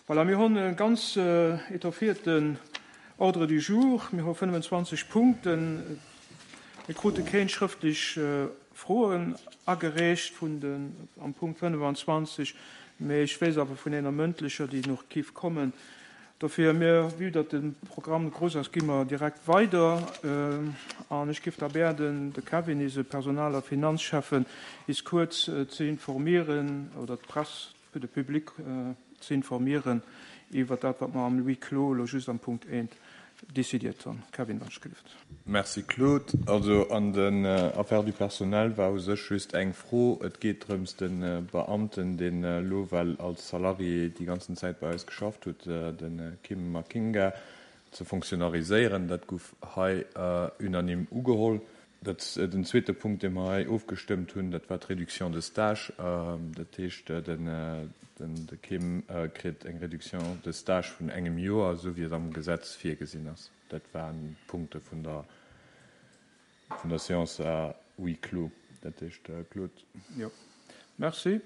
Voilà, mir hunn e ganz étoffierten Ordre du jour. Mir hu 25 Punkten. Mir krute kéint schrëftlech Froen agereecht vun den, am Punkt 25, mee ech weess awer vun enger mëndlecher, déi nach giff kommen. Dofir, mir, vue datt de Programm grouss ass, gi mer direkt weider an ech giff da bäerden, de Kevin, eise Personal a Finanzschäffen, is kuerz ze informieren, oder d'Press, de Public ze informieren iwwert dat, wat mer am Huis clos elo just am Punkt eent décidiert hunn. Kevin, wann ech gelift. Merci Claude. Also an den Affaires du personnel war u sech just eng Fro. Et geet drëms de Beamten, deen elo well als Salarié déi ganzen Zäit bei eis geschafft huet, de Kim Makinga, ze fonctionnariséieren. Dat gouf hei unanime ugeholl. Dat, den zweete Punkt, dee mer hei ofgestëmmt hunn, dat war d'Réduction de stage. Dat heescht, de Kim kritt eng Réduction de stage vun engem Joer, esou wéi et am Gesetz virgesinn ass. Dat waren d'Punkte vun der, vun der Séance à huis clos. Dat heescht, Claude. Jo, merci.